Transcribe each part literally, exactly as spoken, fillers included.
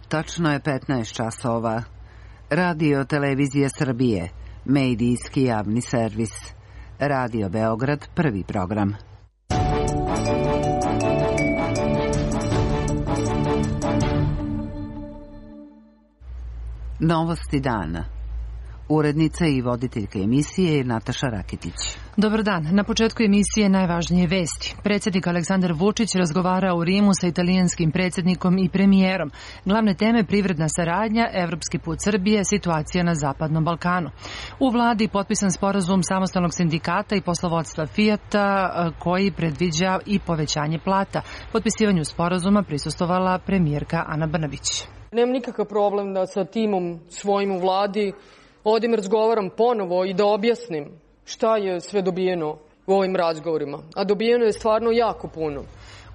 Tačno je petnaest časova. Radio Televizija Srbije, medijski javni servis. Radio Beograd, prvi program. Novosti dana. Urednica i voditeljka emisije je Nataša Raketić. Dobar dan. Na početku emisije najvažnije vesti. Predsjednik Aleksandar Vučić razgovarao u Rimu sa italijanskim predsjednikom i premijerom. Glavne teme: privredna saradnja, evropski put Srbije, situacija na Zapadnom Balkanu. U vladi potpisan sporazum samostalnog sindikata i poslovodstva Fijata koji predviđa i povećanje plata. Potpisivanju sporazuma prisustvovala premijerka Ana Brnabić. Nemam nikakav problem da sa timom svojim u vladi odem razgovaram ponovo i da objasnim šta je sve dobijeno u ovim razgovorima. A dobijeno je stvarno jako puno.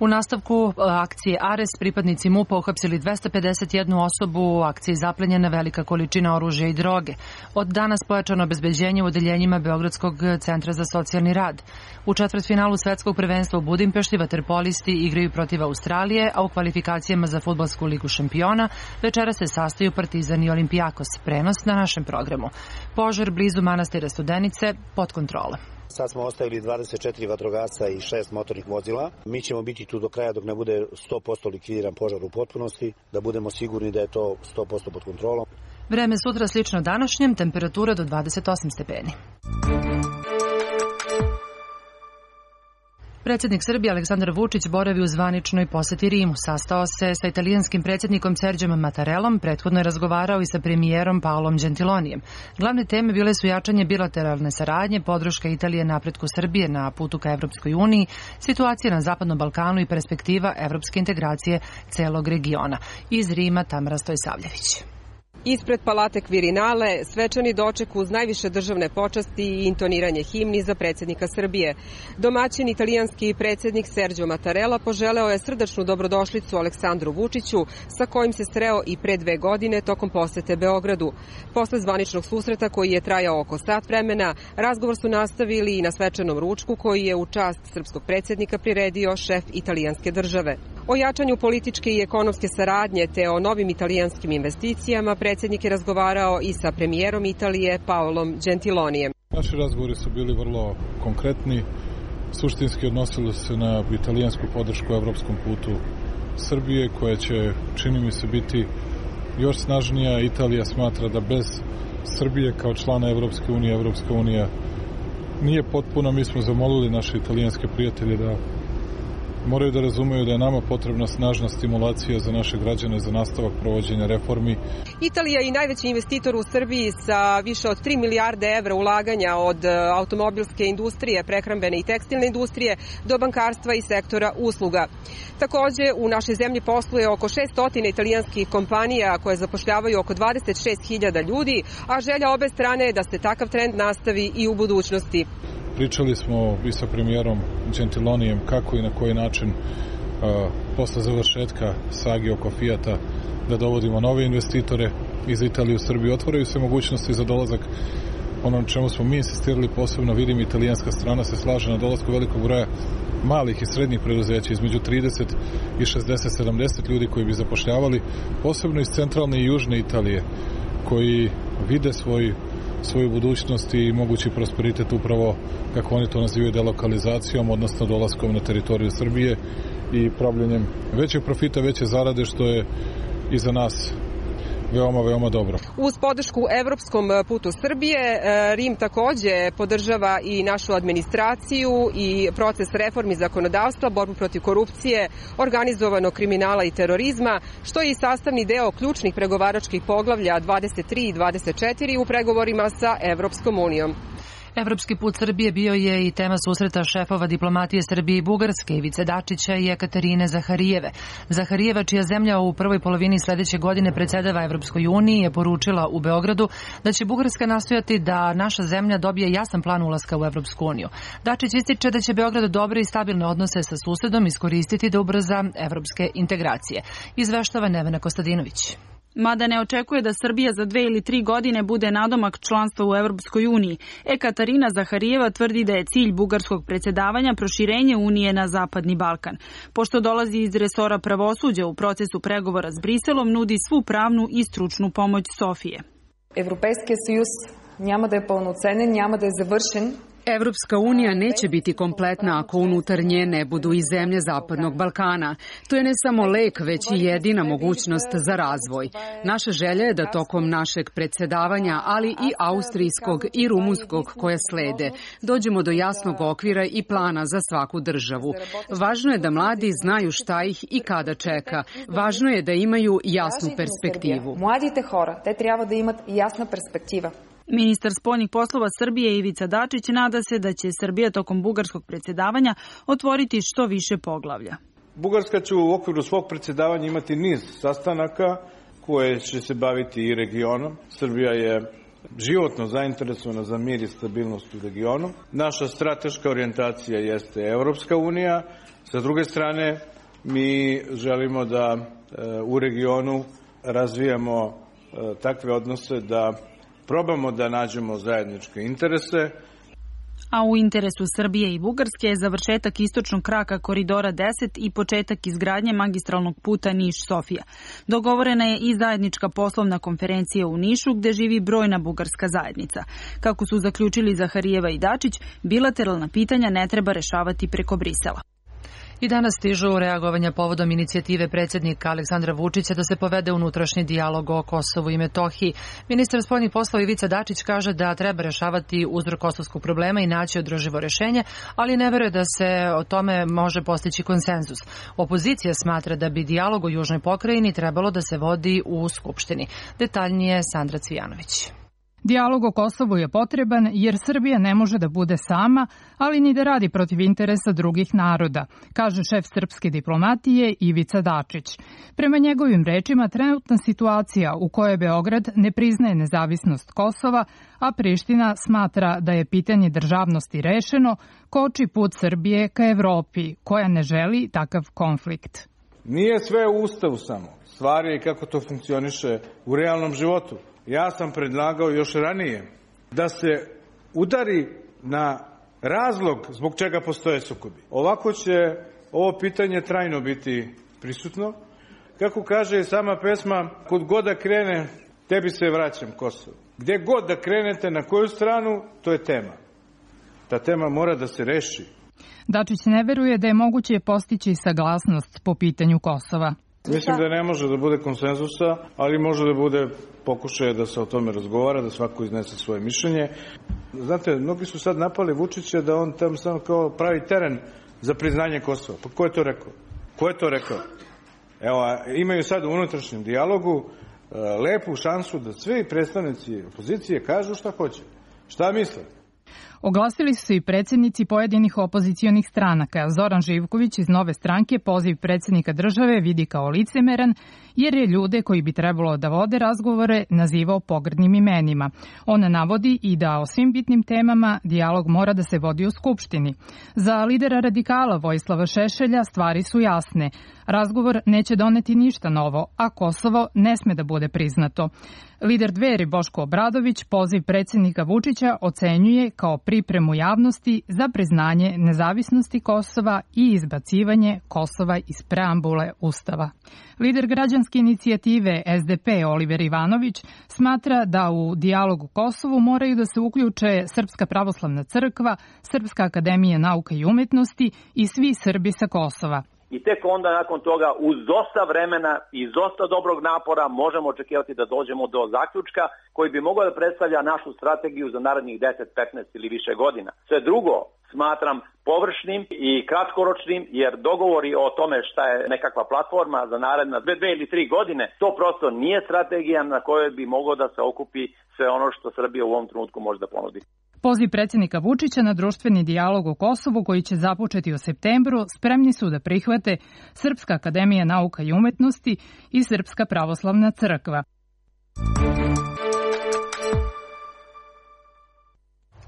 U nastavku akcije Ares pripadnici MUP-a uhapsili dvesta pedeset jednu osobu, u akciji zaplenjena velika količina oružja i droge. Od danas pojačano obezbeđenje u odeljenjima Beogradskog centra za socijalni rad. U četvrtfinalu svetskog prvenstva u Budimpešti vaterpolisti igraju protiv Australije, a u kvalifikacijama za fudbalsku ligu šampiona večera se sastaju Partizan i Olimpijakos. Prenos na našem programu. Požar blizu manastira Studenice pod kontrolom. Sad smo ostavili dvadeset četiri vatrogasca i šest motornih vozila. Mi ćemo biti tu do kraja dok ne bude sto posto likvidiran požar u potpunosti, da budemo sigurni da je to sto posto pod kontrolom. Vreme sutra slično današnjem, temperatura do dvadeset osam stepeni. Predsjednik Srbije Aleksandar Vučić boravi u zvaničnoj poseti Rimu. Sastao se sa italijanskim predsjednikom Serđom Mattarellom, prethodno je razgovarao i sa premijerom Paolom Gentilonijem. Glavne teme bile su jačanje bilateralne saradnje, podrška Italije napretku Srbije na putu ka Evropskoj uniji, situacija na Zapadnom Balkanu i perspektiva evropske integracije celog regiona. Iz Rima Tamara Stojsavljević. Ispred Palate Kvirinale svečani doček uz najviše državne počasti i intoniranje himni za predsjednika Srbije. Domaćin italijanski predsjednik Serđo Mattarella poželeo je srdačnu dobrodošlicu Aleksandru Vučiću, sa kojim se sreo i pre dve godine tokom posete Beogradu. Posle zvaničnog susreta koji je trajao oko sat vremena, razgovor su nastavili i na svečanom ručku koji je u čast srpskog predsjednika priredio šef italijanske države. O jačanju političke i ekonomske saradnje te o novim italijanskim investicijama predsjednik je razgovarao i sa premijerom Italije Paolom Gentilonijem. Naši razgovori su bili vrlo konkretni, suštinski odnosili se na italijansku podršku evropskom putu Srbije, koja će, čini mi se, biti još snažnija. Italija smatra da bez Srbije kao člana Evropske unije, Evropska unija nije potpuna. Mi smo zamolili naše italijanske prijatelje da moraju da razumeju da je nama potrebna snažna stimulacija za naše građane za nastavak provođenja reformi. Italija je i najveći investitor u Srbiji sa više od tri milijarde evra ulaganja od automobilske industrije, prehrambene i tekstilne industrije do bankarstva i sektora usluga. Takođe, u našoj zemlji posluje oko šesto italijanskih kompanija koje zapošljavaju oko dvadeset šest hiljada ljudi, a želja obe strane je da se takav trend nastavi i u budućnosti. Pričali smo i sa premijerom Gentilonijem kako i na koji način a, posle završetka sage oko Fijata da dovodimo nove investitore iz Italije u Srbiju. Otvaraju se mogućnosti za dolazak. Ono na čemu smo mi insistirali posebno, vidim, italijanska strana se slaže na dolasku velikog broja malih i srednjih preduzeća, između trideset i šezdeset sedamdeset ljudi koji bi zapošljavali, posebno iz centralne i južne Italije, koji vide svoj svoju budućnost i mogući prosperitet upravo, kako oni to nazivaju, delokalizacijom, odnosno dolaskom na teritoriju Srbije i pravljenjem većeg profita, veće zarade, što je i za nas veoma, veoma dobro. Uz podršku evropskom putu Srbije, Rim takođe podržava i našu administraciju i proces reformi zakonodavstva, borbu protiv korupcije, organizovanog kriminala i terorizma, što je i sastavni deo ključnih pregovaračkih poglavlja dvadeset tri i dvadeset četiri u pregovorima sa Evropskom unijom. Evropski put Srbije bio je i tema susreta šefova diplomatije Srbije i Bugarske, Ivice Dačića i Ekaterine Zaharijeve. Zaharijeva, čija zemlja u prvoj polovini sledeće godine predsedava Evropskoj uniji, je poručila u Beogradu da će Bugarska nastojati da naša zemlja dobije jasan plan ulaska u Evropsku uniju. Dačić ističe da će Beograd dobre i stabilne odnose sa susedom iskoristiti da ubrza evropske integracije. Izveštava Nevena Kostadinović. Mada ne očekuje da Srbija za dve ili tri godine bude nadomak članstva u Evropskoj uniji, Ekaterina Zaharijeva tvrdi da je cilj bugarskog predsjedavanja proširenje Unije na Zapadni Balkan. Pošto dolazi iz resora pravosuđa, u procesu pregovora s Briselom nudi svu pravnu i stručnu pomoć Sofije. Европейския съюз няма да е пълноценен, няма да е завършен. Evropska unija neće biti kompletna ako unutar nje ne budu i zemlje Zapadnog Balkana. To je ne samo lek, već i jedina mogućnost za razvoj. Naša želja je da tokom našeg predsjedavanja, ali i austrijskog i rumunskog koje slede, dođemo do jasnog okvira i plana za svaku državu. Važno je da mladi znaju šta ih i kada čeka. Važno je da imaju jasnu perspektivu. Mladите хора, те трябва да имат ясна перспектива. Ministar spoljnih poslova Srbije Ivica Dačić nada se da će Srbija tokom bugarskog predsjedavanja otvoriti što više poglavlja. Bugarska će u okviru svog predsjedavanja imati niz sastanaka koje će se baviti i regionom. Srbija je životno zainteresovana za mir i stabilnost u regionu. Naša strateška orijentacija jeste Evropska unija. Sa druge strane, mi želimo da u regionu razvijamo takve odnose da probamo da nađemo zajedničke interese. A u interesu Srbije i Bugarske je završetak istočnog kraka koridora deset i početak izgradnje magistralnog puta Niš-Sofija. Dogovorena je i zajednička poslovna konferencija u Nišu gde živi brojna bugarska zajednica. Kako su zaključili Zaharijeva i Dačić, bilateralna pitanja ne treba rešavati preko Brisela. I danas stižu reagovanja povodom inicijative predsjednika Aleksandra Vučića da se povede unutrašnji dijalog o Kosovu i Metohiji. Ministar spoljnih poslova Ivica Dačić kaže da treba rešavati uzrok kosovskog problema i naći održivo rešenje, ali ne veruje da se o tome može postići konsenzus. Opozicija smatra da bi dijalog o južnoj pokrajini trebalo da se vodi u Skupštini. Detaljnije Sandra Cvijanović. Dijalog o Kosovu je potreban jer Srbija ne može da bude sama, ali ni da radi protiv interesa drugih naroda, kaže šef srpske diplomatije Ivica Dačić. Prema njegovim rečima, trenutna situacija u kojoj Beograd ne priznaje nezavisnost Kosova, a Priština smatra da je pitanje državnosti rešeno, koči put Srbije ka Evropi, koja ne želi takav konflikt. Nije sve u Ustavu samo. Stvar je kako to funkcioniše u realnom životu. Ja sam predlagao još ranije da se udari na razlog zbog čega postoje sukobi. Ovako će ovo pitanje trajno biti prisutno. Kako kaže sama pesma, kud god da krene, tebi se vraćam Kosovo. Gde god da krenete, na koju stranu, to je tema. Ta tema mora da se reši. Dačić ne veruje da je moguće postići saglasnost po pitanju Kosova. Mislim da ne može da bude konsenzusa, ali može da bude pokušaj da se o tome razgovara, da svako iznese svoje mišljenje. Znate, mnogi su sad napali Vučića da on tam samo kao pravi teren za priznanje Kosova. Pa ko je to rekao? Ko je to rekao? Evo, imaju sad u unutrašnjem dijalogu lepu šansu da svi predstavnici opozicije kažu šta hoće. Šta misle? Oglasili su i predsjednici pojedinih opozicionih stranaka. Zoran Živković iz Nove stranke poziv predsjednika države vidi kao licemeran, jer je ljude koji bi trebalo da vode razgovore nazivao pogrdnim imenima. On navodi i da o svim bitnim temama dijalog mora da se vodi u Skupštini. Za lidera radikala Vojislava Šešelja stvari su jasne. Razgovor neće doneti ništa novo, a Kosovo ne sme da bude priznato. Lider Dveri Boško Obradović poziv predsjednika Vučića ocenjuje kao pripremu javnosti za priznanje nezavisnosti Kosova i izbacivanje Kosova iz preambule Ustava. Lider građanske inicijative S D P Oliver Ivanović smatra da u dijalogu Kosovu moraju da se uključe Srpska pravoslavna crkva, Srpska akademija nauka i umetnosti i svi Srbi sa Kosova. I tek onda nakon toga uz dosta vremena i dosta dobrog napora možemo očekivati da dođemo do zaključka koji bi mogao da predstavlja našu strategiju za narednih deset, petnaest ili više godina. Sve drugo smatram površnim i kratkoročnim, jer dogovori o tome šta je nekakva platforma za naredna dve, dve ili tri godine, to prosto nije strategija na kojoj bi moglo da se okupi sve ono što Srbija u ovom trenutku može da ponudi. Poziv predsjednika Vučića na društveni dijalog u Kosovu koji će započeti u septembru spremni su da prihvate Srpska akademija nauka i umetnosti i Srpska pravoslavna crkva.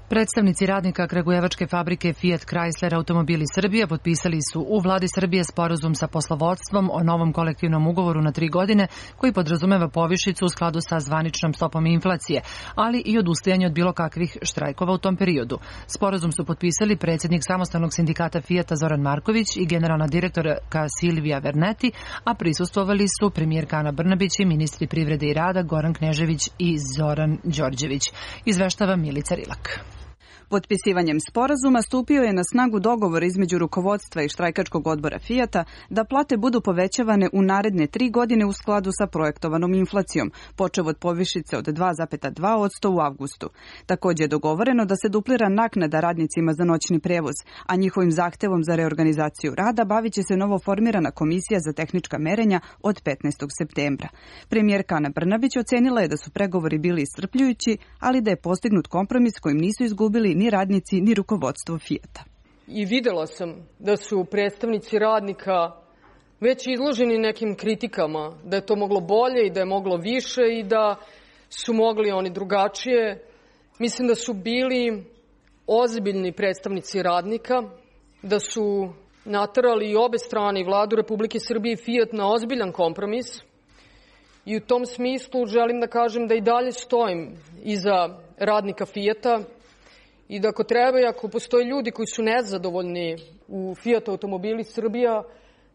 Predstavnici radnika kragujevačke fabrike Fiat Chrysler Automobili Srbije potpisali su u vladi Srbije sporazum sa poslovodstvom o novom kolektivnom ugovoru na tri godine koji podrazumeva povišicu u skladu sa zvaničnom stopom inflacije, ali i odustajanje od bilo kakvih štrajkova u tom periodu. Sporazum su potpisali predsjednik samostalnog sindikata Fijata Zoran Marković i generalna direktorka Silvija Verneti, a prisustvovali su premijerka Ana Brnabić i ministri privrede i rada Goran Knežević i Zoran Đorđević. Izveštava Milica Rilak. Potpisivanjem sporazuma stupio je na snagu dogovor između rukovodstva i štrajkačkog odbora Fijata da plate budu povećavane u naredne tri godine u skladu sa projektovanom inflacijom, počev od povišice od dva zarez dva posto u avgustu. Također je dogovoreno da se duplira naknada radnicima za noćni prevoz, a njihovim zahtevom za reorganizaciju rada bavit će se novo formirana komisija za tehnička merenja od petnaestog septembra. Premijerka Ana Brnabić ocenila je da su pregovori bili iscrpljujući, ali da je postignut kompromis kojim nisu izgubili ni radnici, ni rukovodstvo Fijata. I videla sam da su predstavnici radnika već izloženi nekim kritikama, da je to moglo bolje i da je moglo više i da su mogli oni drugačije. Mislim da su bili ozbiljni predstavnici radnika, da su naterali i obe strane, i Vladu Republike Srbije i Fijat, na ozbiljan kompromis. I u tom smislu želim da kažem da i dalje stojim iza radnika Fijata, i da ako treba i ako postoje ljudi koji su nezadovoljni u Fiat Automobili Srbija,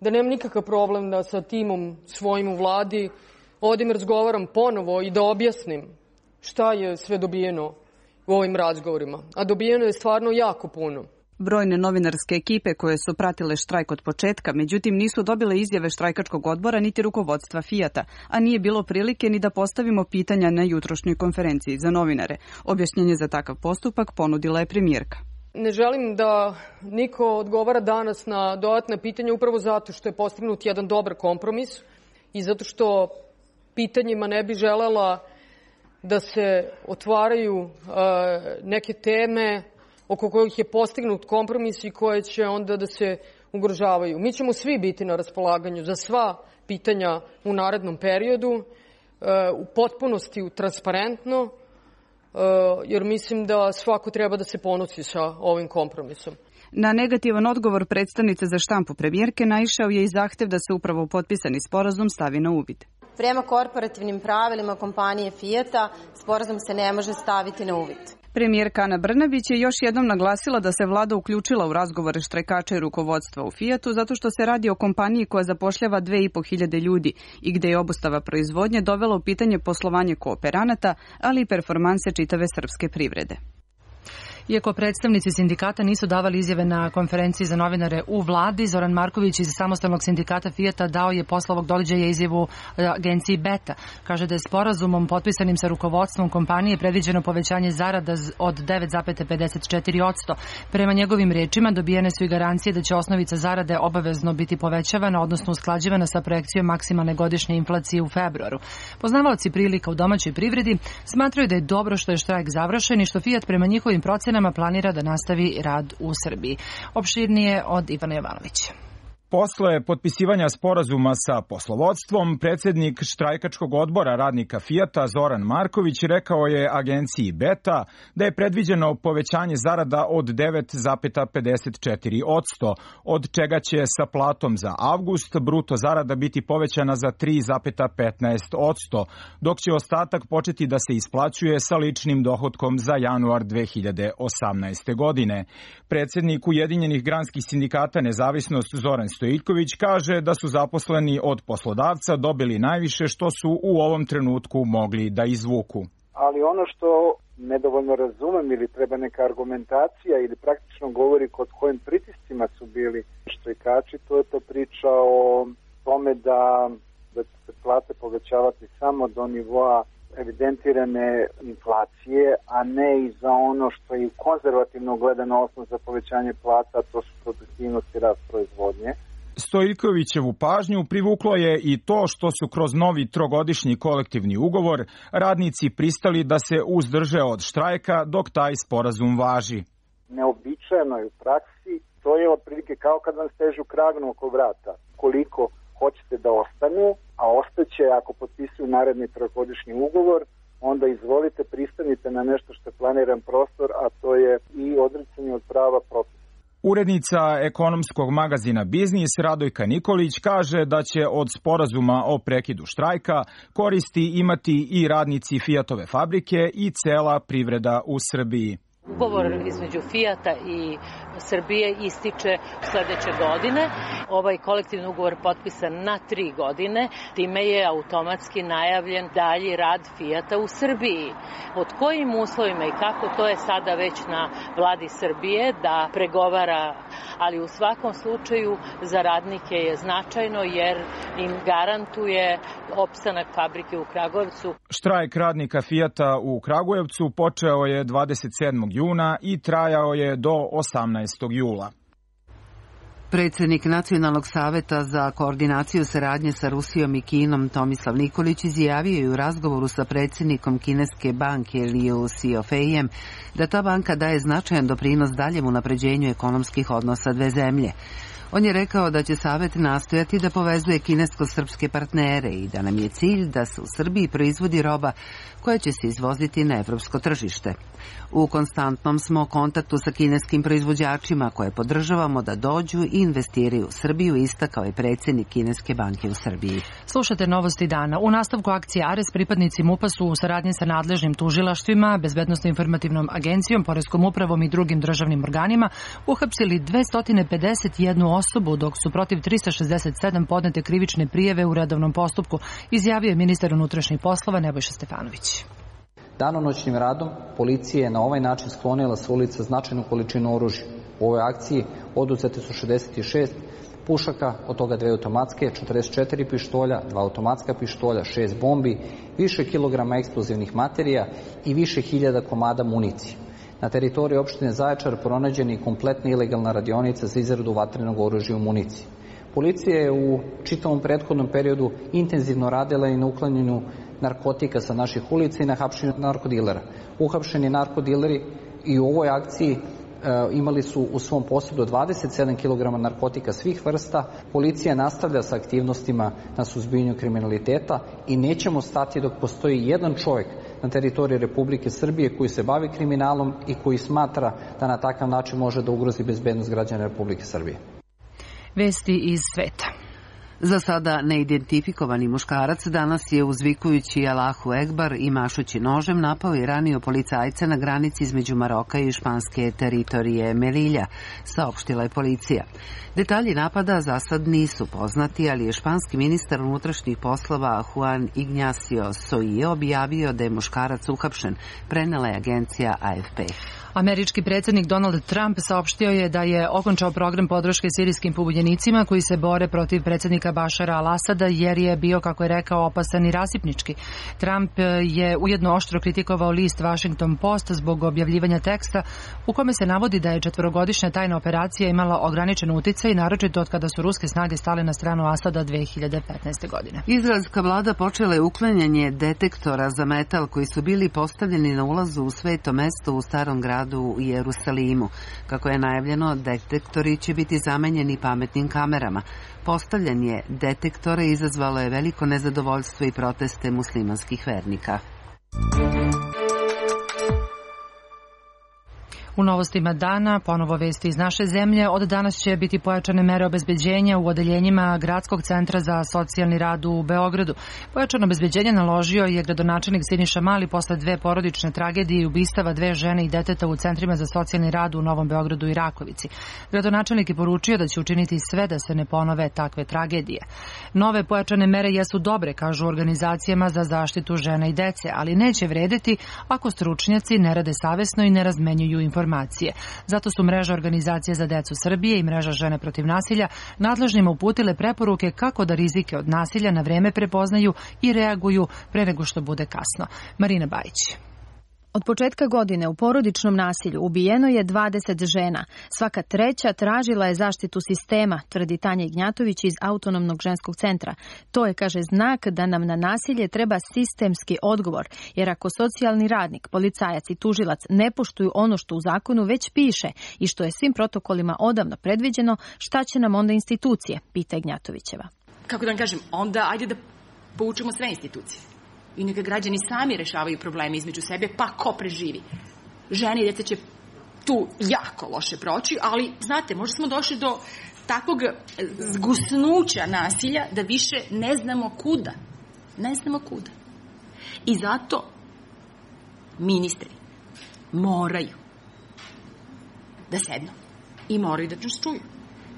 da nemam nikakav problem da sa timom svojim u vladi odim razgovaram ponovo i da objasnim šta je sve dobijeno u ovim razgovorima. A dobijeno je stvarno jako puno. Brojne novinarske ekipe koje su pratile štrajk od početka, međutim nisu dobile izjave štrajkačkog odbora niti rukovodstva Fijata, a nije bilo prilike ni da postavimo pitanja na jutrošnjoj konferenciji za novinare. Objašnjenje za takav postupak ponudila je premijerka. Ne želim da niko odgovara danas na dodatne pitanja upravo zato što je postignut jedan dobar kompromis i zato što pitanjima ne bi želela da se otvaraju uh, neke teme oko kojih je postignut kompromis i koje će onda da se ugrožavaju. Mi ćemo svi biti na raspolaganju za sva pitanja u narednom periodu, u potpunosti transparentno, jer mislim da svako treba da se ponosi sa ovim kompromisom. Na negativan odgovor predstavnice za štampu premijerke naišao je i zahtev da se upravo potpisani sporazum stavi na uvid. Prema korporativnim pravilima kompanije Fijata, sporazum se ne može staviti na uvid. Premijerka Ana Brnabić je još jednom naglasila da se vlada uključila u razgovore štrajkača i rukovodstva u Fijatu zato što se radi o kompaniji koja zapošljava dve i po hiljade ljudi i gde je obustava proizvodnje dovela u pitanje poslovanje kooperanata, ali i performanse čitave srpske privrede. Iako predstavnici sindikata nisu davali izjave na konferenciji za novinare u vladi, Zoran Marković iz samostalnog sindikata Fijata dao je posle ovog događaja izjavu agenciji Beta. Kaže da je sporazumom potpisanim sa rukovodstvom kompanije predviđeno povećanje zarada od devet zarez pedeset četiri posto. Prema njegovim rečima dobijene su i garancije da će osnovica zarade obavezno biti povećavana, odnosno usklađivana sa projekcijom maksimalne godišnje inflacije u februaru. Poznavaoci prilika u domaćoj privredi smatraju da je dobro što je štrajk završen i što Fijat prema njihovim procenama planira da nastavi rad u Srbiji. Opširnije od Ivana Jovanovića. Posle potpisivanja sporazuma sa poslovodstvom, predsjednik štrajkačkog odbora radnika Fijata Zoran Marković rekao je agenciji Beta da je predviđeno povećanje zarada od devet zarez pedeset četiri posto, od čega će sa platom za avgust bruto zarada biti povećana za tri zarez petnaest posto, dok će ostatak početi da se isplaćuje sa ličnim dohotkom za januar dve hiljade osamnaeste. godine. Predsjednik Ujedinjenih granskih sindikata Nezavisnost Zoran Stojiljković kaže da su zaposleni od poslodavca dobili najviše što su u ovom trenutku mogli da izvuku. Ali ono što nedovoljno razumem ili treba neka argumentacija ili praktično govori kod kojim pritiscima su bili štrajkači, to je to priča o tome da, da će se plate povećavati samo do nivoa evidentirane inflacije, a ne i za ono što je konzervativno gledano osnov za povećanje plata, to su produktivnost i rast proizvodnje. Stojiljkovićevu pažnju privuklo je i to što su kroz novi trogodišnji kolektivni ugovor radnici pristali da se uzdrže od štrajka dok taj sporazum važi. Neobičajeno je u praksi, to je otprilike kao kad vam stežu kragnu oko vrata. Koliko hoćete da ostanu, a ostaće ako potpisuju naredni trogodišnji ugovor, onda izvolite, pristanite na nešto što je planiran prostor, a to je i odricanje od prava propisa. Urednica ekonomskog magazina Biznis Radojka Nikolić kaže da će od sporazuma o prekidu štrajka koristi imati i radnici Fiatove fabrike i cela privreda u Srbiji. Ugovor između Fijata i Srbije ističe sledeće godine. Ovaj kolektivni ugovor potpisan na tri godine, time je automatski najavljen dalji rad Fijata u Srbiji. Pod kojim uslovima i kako, to je sada već na vladi Srbije da pregovara, ali u svakom slučaju za radnike je značajno jer im garantuje opstanak fabrike u Kragujevcu. Štrajk radnika Fijata u Kragujevcu počeo je dvadeset sedmog juna i trajao je do osamnaestog jula. Predsednik Nacionalnog saveta za koordinaciju saradnje sa Rusijom i Kinom Tomislav Nikolić izjavio je u razgovoru sa predsednikom kineske banke Liu Xiaofeijem da ta banka daje značajan doprinos daljem unapređenju ekonomskih odnosa dve zemlje. On je rekao da će Savet nastojati da povezuje kinesko-srpske partnere i da nam je cilj da se u Srbiji proizvodi roba koja će se izvoziti na evropsko tržište. U konstantnom smo kontaktu sa kineskim proizvođačima koje podržavamo da dođu i investiraju u Srbiju, istakao je predsednik Kineske banke u Srbiji. Slušate novosti dana. U nastavku akcije Ares pripadnici MUP-a su u saradnji sa nadležnim tužilaštvima, Bezbednosno-informativnom agencijom, Poreskom upravom i drugim državnim organima uhapsili dvesta pedeset jednu osobu, dok su protiv trista šezdeset sedam podnete krivične prijave u redovnom postupku, izjavio je ministar unutrašnjih poslova Nebojša Stefanović. Danonoćnim radom policija je na ovaj način sklonila sa ulica značajnu količinu oružja. U ovoj akciji oduzete su šezdeset šest pušaka, od toga dve automatske, četrdeset četiri pištolja, dva automatska pištolja, šest bombi, više kilograma eksplozivnih materija i više hiljada komada municije. Na teritoriji opštine Zaječar pronađena je kompletna ilegalna radionica za izradu vatrenog oružja u municiji. Policija je u čitavom prethodnom periodu intenzivno radila i na uklanjanju narkotika sa naših ulica i na hapšenju narkodilera. Uhapšeni narkodileri i u ovoj akciji e, imali su u svom posjedu dvadeset sedam kilograma narkotika svih vrsta. Policija nastavlja sa aktivnostima na suzbijanju kriminaliteta i nećemo stati dok postoji jedan čovjek na teritoriji Republike Srbije koji se bavi kriminalom i koji smatra da na takav način može da ugrozi bezbednost građana Republike Srbije. Vesti iz sveta. Za sada neidentifikovani muškarac danas je uzvikujući Allahu Ekbar i mašući nožem napao i ranio policajca na granici između Maroka i španske teritorije Melilja, saopštila je policija. Detalji napada za sad nisu poznati, ali je španski ministar unutrašnjih poslova Juan Ignacio Soije objavio da je muškarac uhapšen, prenela je agencija A F P. Američki predsjednik Donald Trump saopštio je da je okončao program podrške sirijskim pobunjenicima koji se bore protiv predsjednika Bašara al-Asada jer je bio, kako je rekao, opasan i rasipnički. Trump je ujedno oštro kritikovao list Washington Post zbog objavljivanja teksta u kome se navodi da je četvorogodišnja tajna operacija imala ograničen uticaj, naročito od kada su ruske snage stale na stranu Asada dve hiljade petnaeste. godine. Izraelska vlada počela je uklanjanje detektora za metal koji su bili postavljeni na ulazu u sveto mesto u starom gradu u Jerusalimu. Kako je najavljeno, detektori će biti zamenjeni pametnim kamerama. Postavljanje detektora izazvalo je veliko nezadovoljstvo i proteste muslimanskih vernika. U novostima dana, ponovo vesti iz naše zemlje, od danas će biti pojačane mere obezbeđenja u odeljenjima Gradskog centra za socijalni rad u Beogradu. Pojačano obezbeđenje naložio je gradonačelnik Siniša Mali posle dve porodične tragedije i ubistava dve žene i deteta u centrima za socijalni rad u Novom Beogradu i Rakovici. Gradonačelnik je poručio da će učiniti sve da se ne ponove takve tragedije. Nove pojačane mere jesu dobre, kažu organizacijama za zaštitu žena i dece, ali neće vredeti ako stručnjaci ne rade savesno i ne razmenjuju informacije. Zato su mreža organizacije za decu Srbije i mreža Žene protiv nasilja nadležnima uputile preporuke kako da rizike od nasilja na vreme prepoznaju i reaguju pre nego što bude kasno. Marina Bajić. Od početka godine u porodičnom nasilju ubijeno je dvadeset žena. Svaka treća tražila je zaštitu sistema, tvrdi Tanja Ignjatović iz Autonomnog ženskog centra. To je, kaže, znak da nam na nasilje treba sistemski odgovor, jer ako socijalni radnik, policajac i tužilac ne poštuju ono što u zakonu već piše i što je svim protokolima odavno predviđeno, šta će nam onda institucije, pita Ignjatovićeva. Kako da vam kažem, onda ajde da poučimo sve institucije. i neka građani sami rešavaju probleme između sebe, pa ko preživi. Žene i deca će tu jako loše proći, ali, znate, možda smo došli do takvog zgusnuća nasilja da više ne znamo kuda. Ne znamo kuda. I zato ministri moraju da sednu i moraju da nas čuju.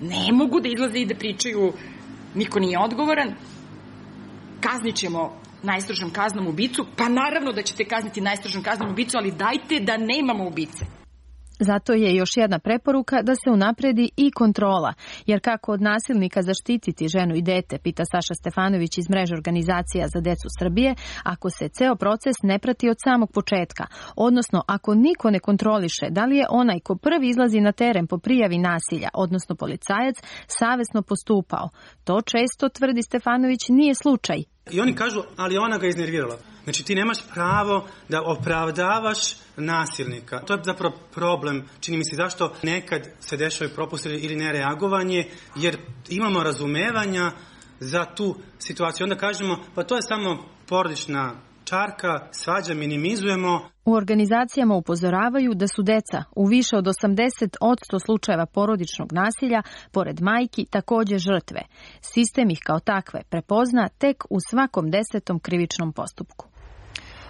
Ne mogu da izlaze i da pričaju niko nije odgovoran, kaznit ćemo najstrožom kaznom ubicu, pa naravno da ćete kazniti najstrožom kaznom ubicu, ali dajte da nemamo ubice. Zato je još jedna preporuka da se unapredi i kontrola, jer kako od nasilnika zaštititi ženu i dete, pita Saša Stefanović iz mreže organizacija za decu Srbije, ako se ceo proces ne prati od samog početka, odnosno ako niko ne kontroliše da li je onaj ko prvi izlazi na teren po prijavi nasilja, odnosno policajac, savesno postupao. To često, tvrdi Stefanović, nije slučaj. I oni kažu, ali ona ga iznervirala. Znači ti nemaš pravo da opravdavaš nasilnika. To je zapravo problem, čini mi se, zašto nekad se dešavaju propusti ili nereagovanje, jer imamo razumevanja za tu situaciju. Onda kažemo, pa to je samo porodična čarka, svađa, minimizujemo. U organizacijama upozoravaju da su deca u više od osamdeset posto slučajeva porodičnog nasilja, pored majki, takođe žrtve. Sistem ih kao takve prepozna tek u svakom desetom krivičnom postupku.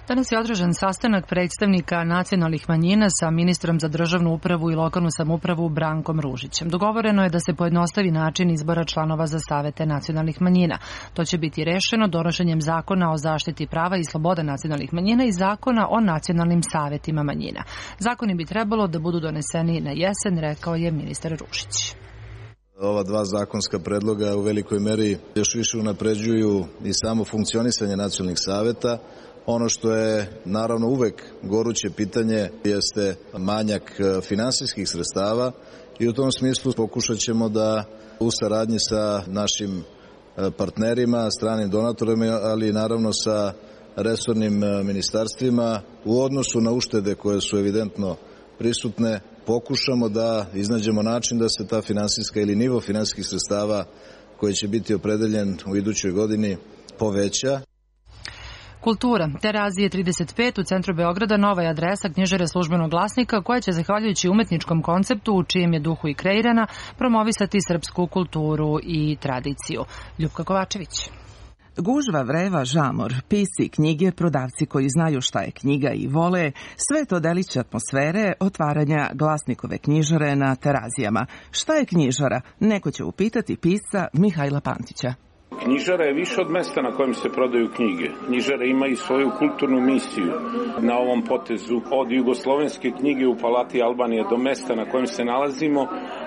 Danas je održan sastanak predstavnika nacionalnih manjina sa ministrom za državnu upravu i lokalnu samoupravu Brankom Ružićem. Dogovoreno je da se pojednostavi način izbora članova za savete nacionalnih manjina. To će biti rešeno donošenjem zakona o zaštiti prava i sloboda nacionalnih manjina i zakona o nacionalnim savetima manjina. Zakoni bi trebalo da budu doneseni na jesen, rekao je ministar Ružić. Ova dva zakonska predloga u velikoj meri još više unapređuju i samo funkcionisanje nacionalnih saveta. Ono što je naravno uvek goruće pitanje jeste manjak finansijskih sredstava i u tom smislu pokušat ćemo da u saradnji sa našim partnerima, stranim donatorima, ali naravno sa resornim ministarstvima u odnosu na uštede koje su evidentno prisutne, pokušamo da iznađemo način da se ta finansijska ili nivo finansijskih sredstava koji će biti opredeljen u idućoj godini poveća. Kultura. Terazije trideset pet u centru Beograda nova je adresa knjižare Službenog glasnika koja će, zahvaljujući umetničkom konceptu u čijem je duhu i kreirana, promovisati srpsku kulturu i tradiciju. Ljupka Kovačević. Gužva, vreva, žamor, pisci, knjige, prodavci koji znaju šta je knjiga i vole, sve to deliće atmosfere otvaranja Glasnikove knjižare na Terazijama. Šta je knjižara? Neko će upitati pisca Mihajla Pantića. Knjižara je više od mesta na kojem se prodaju knjige. Knjižara ima i svoju kulturnu misiju na ovom potezu. Od jugoslovenske knjige u Palati Albanije do mesta na kojem se nalazimo,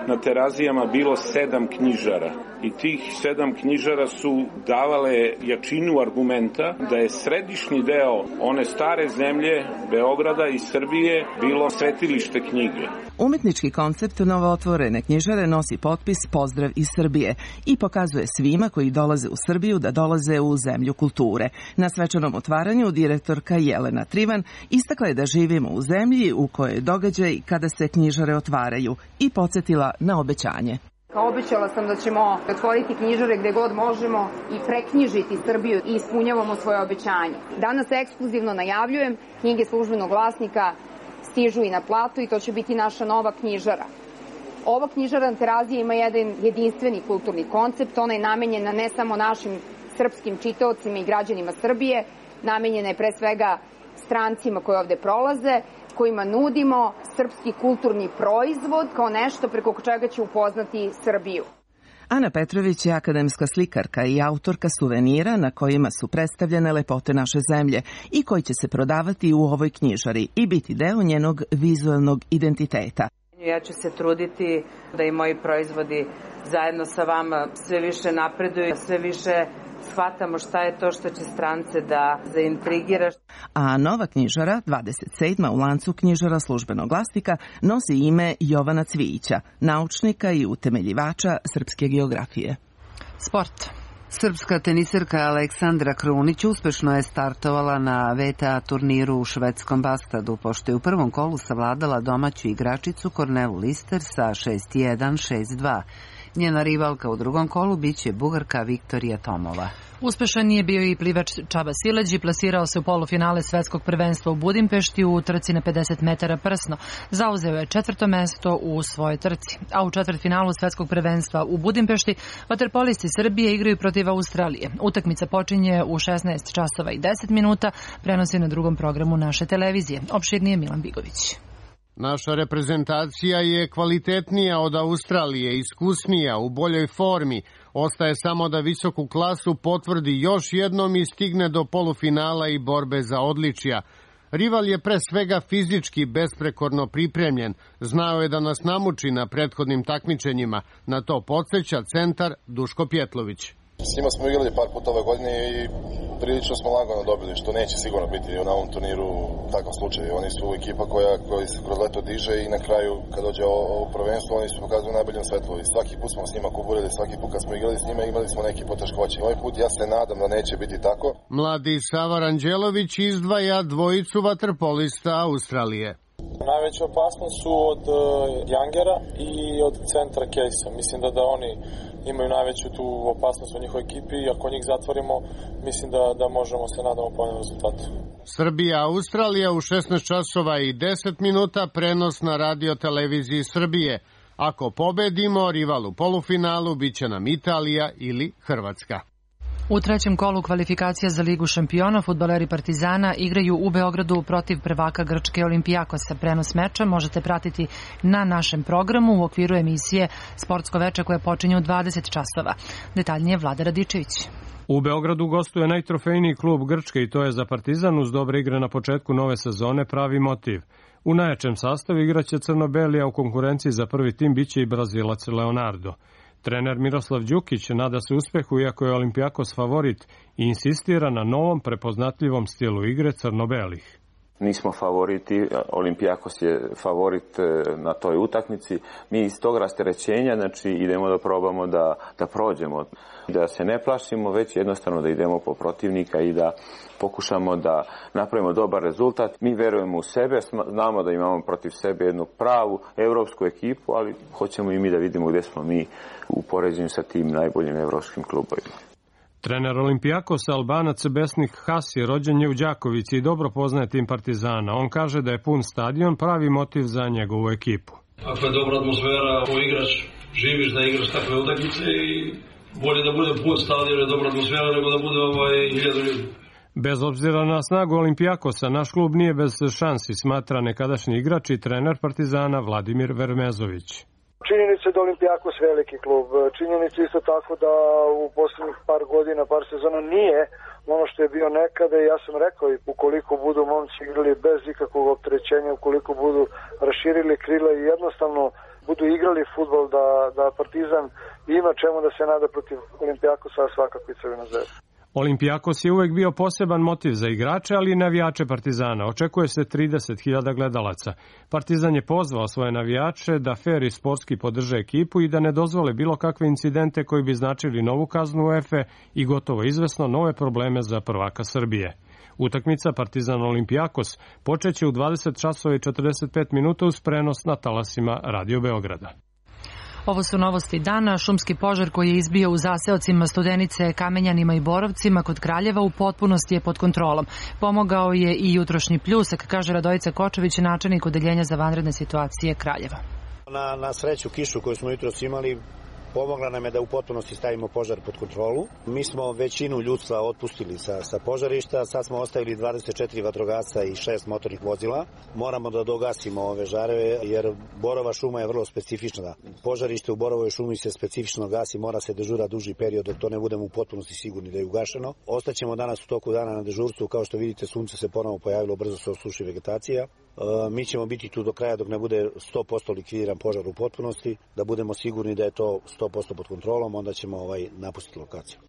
na Terazijama bilo sedam knjižara. I tih sedam knjižara su davale jačinu argumenta da je središnji deo one stare zemlje, Beograda i Srbije, bilo svetilište knjige. Umetnički koncept novootvorene knjižare nosi potpis Pozdrav iz Srbije i pokazuje svima koji dolaze u Srbiju da dolaze u zemlju kulture. Na svečanom otvaranju direktorka Jelena Trivan istakla je da živimo u zemlji u kojoj je događaj kada se knjižare otvaraju i podsjetila na obećanje. Obećala sam da ćemo otvoriti knjižare gde god možemo i preknjižiti Srbiju i ispunjavamo svoje obećanje. Danas ekskluzivno najavljujem, knjige Službenog glasnika stižu i na platu i to će biti naša nova knjižara. Ova knjižara na Teraziji ima jedan jedinstveni kulturni koncept, ona je namenjena ne samo našim srpskim čitaocima i građanima Srbije, namenjena je pre svega strancima koji ovde prolaze, kojima nudimo srpski kulturni proizvod kao nešto preko čega će upoznati Srbiju. Ana Petrović je akademska slikarka i autorka suvenira na kojima su predstavljene lepote naše zemlje i koji će se prodavati u ovoj knjižari i biti deo njenog vizualnog identiteta. Ja ću se truditi da i moji proizvodi zajedno sa vama sve više napreduju, sve više shvatamo šta je to što će strance da zaintrigira. A nova knjižara, dvadeset sedma u lancu knjižara Službenog glasnika, nosi ime Jovana Cvijića, naučnika i utemeljivača srpske geografije. Sport. Srpska teniserka Aleksandra Krunić uspešno je startovala na V T A turniru u švedskom Bastadu, pošto je u prvom kolu savladala domaću igračicu Kornelu Lister sa šest jedan, šest dva. Njena rivalka u drugom kolu biće Bugarka Viktorija Tomova. Uspešan je bio i plivač Čaba Sileđi, plasirao se u polufinale svetskog prvenstva u Budimpešti u trci na pedeset metara prsno. Zauzeo je četvrto mesto u svojoj trci. A u četvrtfinalu svetskog prvenstva u Budimpešti vaterpolisti Srbije igraju protiv Australije. Utakmica počinje u šesnaest časova i deset minuta, prenosi na drugom programu naše televizije. Opširnije Milan Bigović. Naša reprezentacija je kvalitetnija od Australije, iskusnija, u boljoj formi. Ostaje samo da visoku klasu potvrdi još jednom i stigne do polufinala i borbe za odličja. Rival je pre svega fizički besprekorno pripremljen. Znao je da nas namuči na prethodnim takmičenjima. Na to podsjeća centar Duško Pjetlović. S njima smo igrali par puta ove godine i prilično smo lagano dobili, što neće sigurno biti na ovom turniru takav slučaj. Oni su ekipa koja, koja se kroz leto diže i na kraju kad dođe ovo prvenstvo oni su pokazuju u najboljem svetlu. I svaki put smo s njima kuburili, svaki put kad smo igrali s njima imali smo neke poteškoće. Ovaj put ja se nadam da neće biti tako. Mladi Sava Ranđelović izdvaja dvojicu vaterpolista Australije. Najveća opasnost su od uh, Jangera i od centra Kejsa. Mislim da da oni imaju najveću tu opasnost u njihovoj ekipi i ako njih zatvorimo, mislim da, da možemo se nadamo povoljnom rezultatu. Srbija, Australija u šesnaest časova i deset minuta, prenos na radio televiziji Srbije. Ako pobedimo, rival u polufinalu biće nam Italija ili Hrvatska. U trećem kolu kvalifikacija za Ligu šampiona fudbaleri Partizana igraju u Beogradu protiv prvaka Grčke Olimpijakosa. Prenos meča možete pratiti na našem programu u okviru emisije Sportsko veče koje počinje u dvadeset časova. Detaljnije Vlada Radičević. U Beogradu gostuje najtrofejniji klub Grčke i to je za Partizan uz dobre igre na početku nove sezone pravi motiv. U najjačem sastavu igraće Crno-Beli, a u konkurenciji za prvi tim biće i Brazilac Leonardo. Trener Miroslav Đukić nada se uspehu iako je Olimpijakos favorit i insistira na novom prepoznatljivom stilu igre crno-belih. Nismo favoriti, Olimpijakos je favorit na toj utakmici. Mi iz tog rasterećenja znači, idemo da probamo da, da prođemo, da se ne plašimo, već jednostavno da idemo po protivnika i da pokušamo da napravimo dobar rezultat. Mi verujemo u sebe, znamo da imamo protiv sebe jednu pravu evropsku ekipu, ali hoćemo i mi da vidimo gdje smo mi u poređenju sa tim najboljim evropskim klubovima. Trener Olimpijakosa Albanac Besnik Hasi rođen je u Đakovici i dobro poznaje tim Partizana. On kaže da je pun stadion pravi motiv za njegovu ekipu. Ako je dobra atmosfera, ako igrač, živiš da igraš takve utakmice i bolje da bude pun stadion i dobra atmosfera nego da bude ovaj hiljadu ljudi. Bez obzira na snagu Olimpijakosa, naš klub nije bez šansi, smatra nekadašnji igrač i trener Partizana Vladimir Vermezović. Činjenica da Olimpijakos veliki klub, činjenica isto tako da u poslednjih par godina, par sezona nije ono što je bio nekada i ja sam rekao i ukoliko budu momci igrali bez ikakvog opterećenja, ukoliko budu raširili krila i jednostavno budu igrali fudbal da, da Partizan ima čemu da se nada protiv Olimpijakosa, a svakako i Crvena zvezda. Olimpijakos je uvek bio poseban motiv za igrače, ali i navijače Partizana. Očekuje se trideset hiljada gledalaca. Partizan je pozvao svoje navijače da fer i sportski podrže ekipu i da ne dozvole bilo kakve incidente koji bi značili novu kaznu UEFA i gotovo izvesno nove probleme za prvaka Srbije. Utakmica Partizan Olimpijakos počeće u dvadeset časova i četrdeset pet minuta uz prenos na talasima Radio Beograda. Ovo su novosti dana. Šumski požar koji je izbio u zaseocima Studenice, Kamenjanima i Borovcima kod Kraljeva u potpunosti je pod kontrolom. Pomogao je i jutrošnji pljusak, kaže Radojica Kočević, načelnik odeljenja za vanredne situacije Kraljeva. Na, na sreću kišu koju smo jutros imali pomogla nam je da u potpunosti stavimo požar pod kontrolu. Mi smo većinu ljudstva otpustili sa, sa požarišta, sad smo ostavili dvadeset četiri vatrogasca i šest motornih vozila. Moramo da dogasimo ove žareve jer Borova šuma je vrlo specifična. Požarište u Borovoj šumi se specifično gasi, mora se dežura duži period dok to ne budemo u potpunosti sigurni da je ugašeno. Ostaćemo danas u toku dana na dežurstvu, kao što vidite sunce se ponovo pojavilo, brzo se osuši vegetacija. Mi ćemo biti tu do kraja dok ne bude sto posto likvidiran požar u potpunosti, da budemo sigurni da je to sto posto pod kontrolom, onda ćemo ovaj napustiti lokaciju.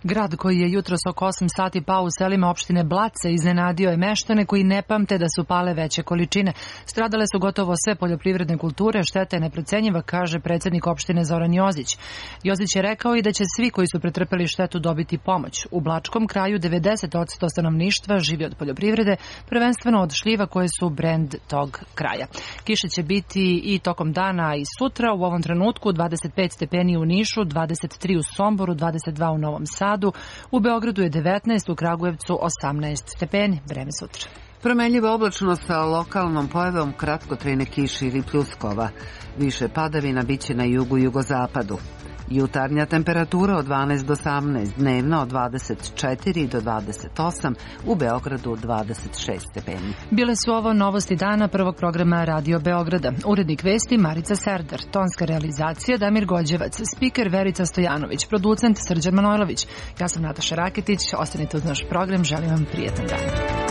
Grad koji je jutros oko osam sati pao u selima opštine Blace iznenadio je meštane koji ne pamte da su pale veće količine. Stradale su gotovo sve poljoprivredne kulture, šteta je neprocenjiva, kaže predsednik opštine Zoran Jozić. Jozić je rekao i da će svi koji su pretrpeli štetu dobiti pomoć. U Blačkom kraju devedeset posto stanovništva živi od poljoprivrede, prvenstveno od šljiva koje su brend tog kraja. Kiše će biti i tokom dana i sutra, u ovom trenutku dvadeset pet stepeni u Nišu, dvadeset tri u Somboru, dvadeset dva u Novom Sadu, Sadu, u Beogradu je devetnaest, u Kragujevcu osamnaest stepeni. Vreme sutra. Promenljiva oblačnost sa lokalnom pojavom kratkotrajne kiše ili pljuskova. Više padavina biće na jugu i jugozapadu. Jutarnja temperatura od dvanaest do osamnaest, dnevna od dvadeset četiri do dvadeset osam, u Beogradu dvadeset šest stepeni. Bile su ovo novosti dana prvog programa Radio Beograda. Urednik vesti Marica Serdar, tonska realizacija Damir Gođevac, spiker Verica Stojanović, producent Srđan Manojlović. Ja sam Nataša Raketić, ostanite uz naš program, želim vam prijetan dan.